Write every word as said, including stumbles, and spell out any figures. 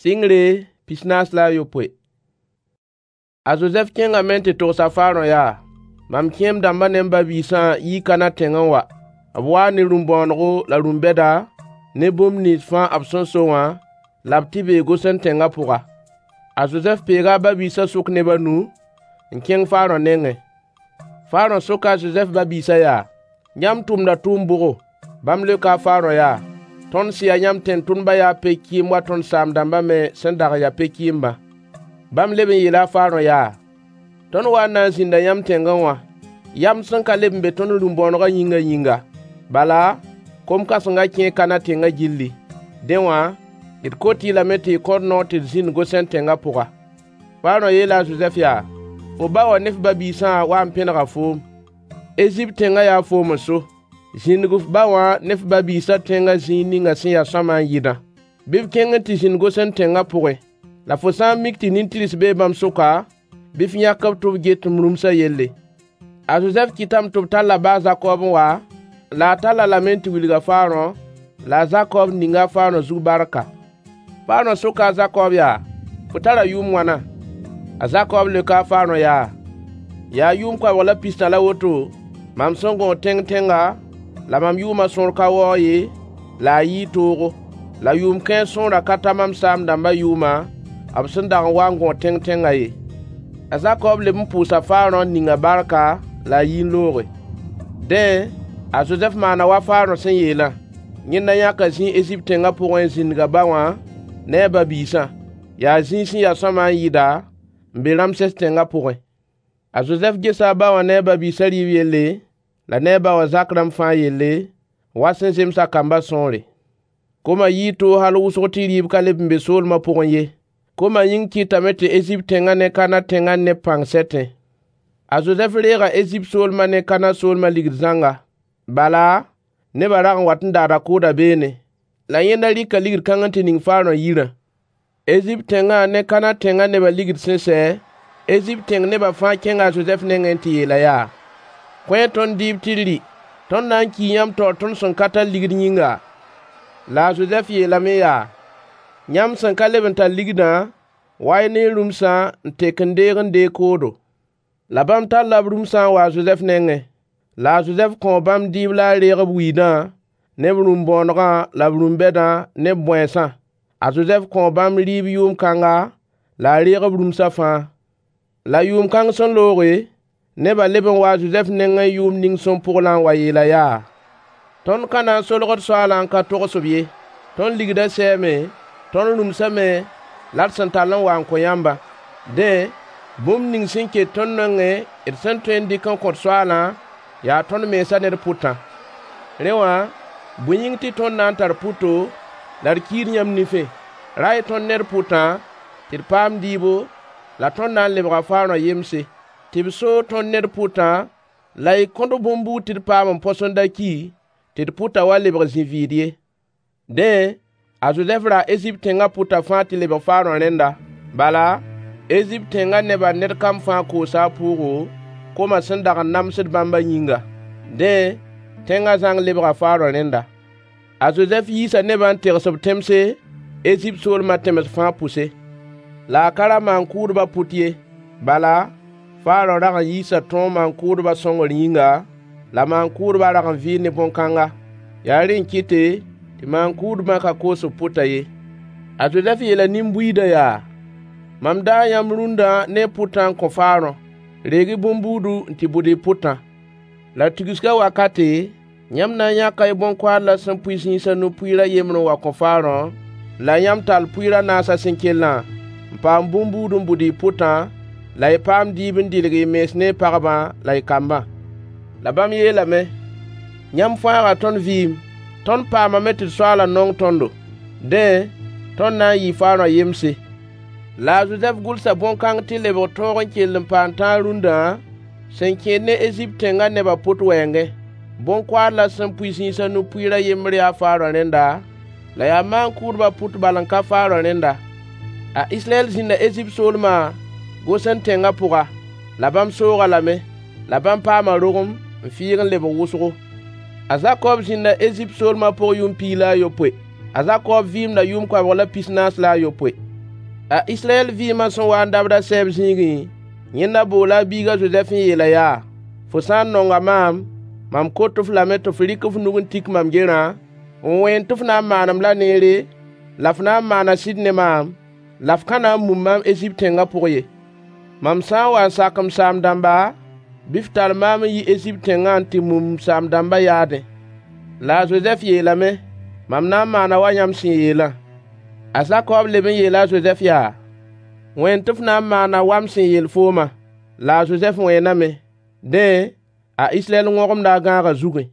Sɩngre pis-naas la a yopoe. A Zozɛf kẽngame n tɩ togs a Farõ yaa: Mam kẽem-dãmbã ne m ba-biisã yii Kana tẽngẽ n wa. B waa ne rũm-bõonego la rũm-bɛda ne bũmb nins fãa b sẽn so wã, la b tɩ bee Gosen tẽngã pʋga. A Zozɛf peega a ba-biisã sʋk neb a nu n kẽng Farõ nengẽ. Farõ soka a Zozɛf ba-biisã yaa: Yãmb tʋmda tʋʋm bʋgo? Bãmb leoka a Farõ yaa: Tõnd sẽn ya yãmb tẽn-tʋmdbã yaa pe-kɩɩmb wa tõnd saam-dãmbã me sẽn dag n ya pe-kɩɩmbã. Bãmb leb n yeela a Farõ yaa: Tõnd waa n na n zĩnda yãmb tẽngẽ wã, yamd sẽn ka leb n be tõnd rũm-bõonegã yĩngã yĩnga. Bala, kom-kãsengã kẽe Kana tẽngã gilli. Dẽ wã, d kot-y lame tɩ y kõ-d noor tɩ d zĩnd Gosɛn tẽngã pʋga. Farõ yeela a Zozɛf yaa: Fo ba wã ne f ba-biisã waa n pẽnega foom. Ezipt tẽngã yaa foom n so. Zĩndg f ba wã ne f ba-biisã tẽngã zĩig ninga sẽn ya sõama n yɩdã. Bɩ b kẽng n tɩ zĩnd Gosɛn tẽngã pʋgẽ. La fo sã n mik tɩ nin-tɩrs bee bãmb sʋka, bɩ f yãk-b tɩ b get m rũmsã yelle. A Zozɛf kɩtame tɩ b tall a ba a Zakob n wa, la a tall-a lame n tɩ wilg a Farõ, la a Zakob ninga a Farõ zug barka. Farõ soka a Zakob yaa: Fo tara yʋʋm wãna? A Zakob leoka a Farõ yaa: Yaa yʋʋm koabg la pistã la woto, mam sẽn gõog tẽng-tẽnga, la mam yʋʋmã sõor ka waoog ye, la a yɩɩ toogo. La yʋʋm kãens sõorã ka ta mam saam-dãmbã yʋʋma, b sẽn dag n wa n gõod tẽng-tẽngã ye. A Zakob leb n pʋʋsa Farõ n ning-a barka, la a yi n looge. Dẽ, a Zozɛf maana wa Farõ sẽn yeelã. Yẽnda yãka zĩig Ezipt tẽngã pʋgẽ n zĩndg a ba wã ne a ba-biisã. Yaa zĩig sẽn ya sõama n yɩda, n be Ramses tẽngã pʋgẽ. A Zozɛf gesa a ba wã ne a ba-biisã rɩɩb yelle, la ne a ba wã zak rãmb fãa yelle, wa sẽn zems a kambã sõore. Komã yii toog hal wʋsg tɩ rɩɩb ka leb n be soolmã pʋgẽ ye. Komã yĩng kɩtame tɩ Ezipt tẽngã ne Kana tẽngã neb pãng sɛtẽ. A Zozɛf reega Ezipt soolmã ne Kana soolmã ligd zãnga. Bala, nebã rag n wat n daada kʋʋda beene. La yẽnda rɩka ligd kãng n tɩ ning Farõ yirã. Ezipt tẽngã ne Kana tẽngã nebã ligd sẽn sɛ, Ezipt tẽng nebã fãa kẽnga a Zozɛf nengẽ n tɩ yeel-a yaa: Kõ-y tõnd dɩɩb tɩ d rɩ. Tõnd na n kii yãmb taoor tõnd sẽn ka tar ligd yĩnga. La a Zozɛf yeelame yaa: Yãmb sẽn ka leb n tar ligdã, wa-y ne y rũmsã n tek n deeg n deeg koodo. La bãmb talla b rũmsã n wa a Zozɛf nengẽ. La a Zozɛf kõo bãmb dɩɩb la a reeg b wiidã ne b rũm-bõonegã la b rũm-bɛdã ne b bõensã. A Zozɛf kõo bãmb rɩɩb yʋʋm kãnga, la a reeg b rũmsã fãa. La yʋʋm kãng sẽn looge, nebã leb n waa a Zozɛf nengẽ yʋʋmd ning sẽn pʋglã n wa yeel-a yaa: Tõnd ka na n solg d soaalã n ka togs-b ye. Tõnd ligdã sɛɛme, tõnd rũmsã me la d sẽn tall n wa n kõ yãmbã. Dẽ, bũmb ning sẽn ket tõnd nengẽ d sẽn tõe n dɩk n kõ d soaalã, yaa tõnd mensã ne d pʋtã. Rẽ wã, bõe yĩng tɩ tõnd na n tar pʋto la d kiid yãmb nifẽ? Ra-y tõnd ne d pʋtã tɩ d paam dɩɩbo, la tõnd na n lebga Farõ yemse, tɩ b soog tõnd ne d pʋtã, la y kõt-b bõn-buud tɩ d paam n põs n da ki, tɩ d pʋtã wa lebg zĩ-vɩɩd ye. Dẽ, a Zozɛf raa Ezipt tẽngã pʋtã fãa tɩ lebg Farõ rẽnda. Bala, Ezipt tẽngã nebã ned kam fãa koosa a pʋʋgo, komã sẽn dag n namsd bãmbã yĩnga. Dẽ, tẽngã zãng lebga Farõ rẽnda. A Zozɛf yiisa nebã n tegs b tẽmse Ezipt soolmã tẽms fãa pʋse. La a ka ra maan-kʋʋdbã pʋt ye. Bala, Farõ rag n yiisa tõog maan-kʋʋdbã sõngr yĩnga, la maan-kʋʋdbã rag n vɩɩ ne bõn-kãnga. Yaa rẽ n kɩte tɩ maan-kʋʋdbã ka koos b pʋtã ye. A Zozɛf yeela nin-buiidã yaa: Mam daa yãmb rũndã ne y pʋtã n kõ Farõ. Reeg-y bõn-buudu n tɩ bʋd y pʋtã. La tigsgã wakate, yãmb na n yãka y bõn-koaadlã sẽn pʋɩ zĩis a nu pʋɩɩr a yembr n wa kõ Farõ, la yãmb tall pʋɩɩr a naasã sẽn kellã, n paam bõn-buud n bʋd y pʋtã, la y paam dɩɩb n dɩlg y mens ne y pagbã la y kambã. La bãmb yeelame: Yãmb fãaga tõnd vɩɩm. Tõnd paamame tɩ d soaalã nong tõndo. Dẽ, tõnd na n yɩɩ Farõ yemse. La a Zozɛf gʋlsa bõn-kãng tɩ lebg tõog n kell n paam tãag rũndã sẽn kẽed ne Ezipt tẽngã nebã pʋt wɛɛngẽ. Bõn-koaadlã sẽn pʋɩ zĩis a nu pʋɩɩr a yembr yaa Farõ rẽnda, la yaa maan-kʋʋdbã pʋt bal n ka Farõ rẽnda. A Israyɛl zĩnda Ezipt soolmã, Gosɛn tẽngã pʋga. La bãmb soog-a lame. La bãmb paama rogem n fɩɩg n lebg wʋsgo. A Zakob zĩnda Ezipt soolmã pʋg yʋʋm piig la a yopoe. A Zakob vɩɩmda yʋʋm koabg la pis-naas la a yopoe. A Israyɛl vɩɩmã sẽn waa n dabd a sɛɛb zĩigẽ, yẽnda boola a biig a Zozɛf n yeel-a yaa: Fo sã n nonga maam, mam kot-f lame tɩ f rɩk f nug n tik mam gerã, n wẽen tɩ f na n maan-m-la neere, la f na n maana sɩd ne maam, la f ka na n mum maam Ezipt tẽngã pʋg ye. Mam sã n wa n sak m saam-dãmba, bɩ f tall maam n yi Ezipt tẽngã n tɩ mum m saam-dãmbã yaadẽ. La a Zozɛf yeelame: Mam na n maana wa yãmb sẽn yeelã. A Zakob leb n yeela a Zozɛf yaa: Wẽen tɩ f na n maana wa m sẽn yeel foomã. La a Zozɛf wẽename. Dẽ, a Israyɛl wõgemda a gãagã zugẽ.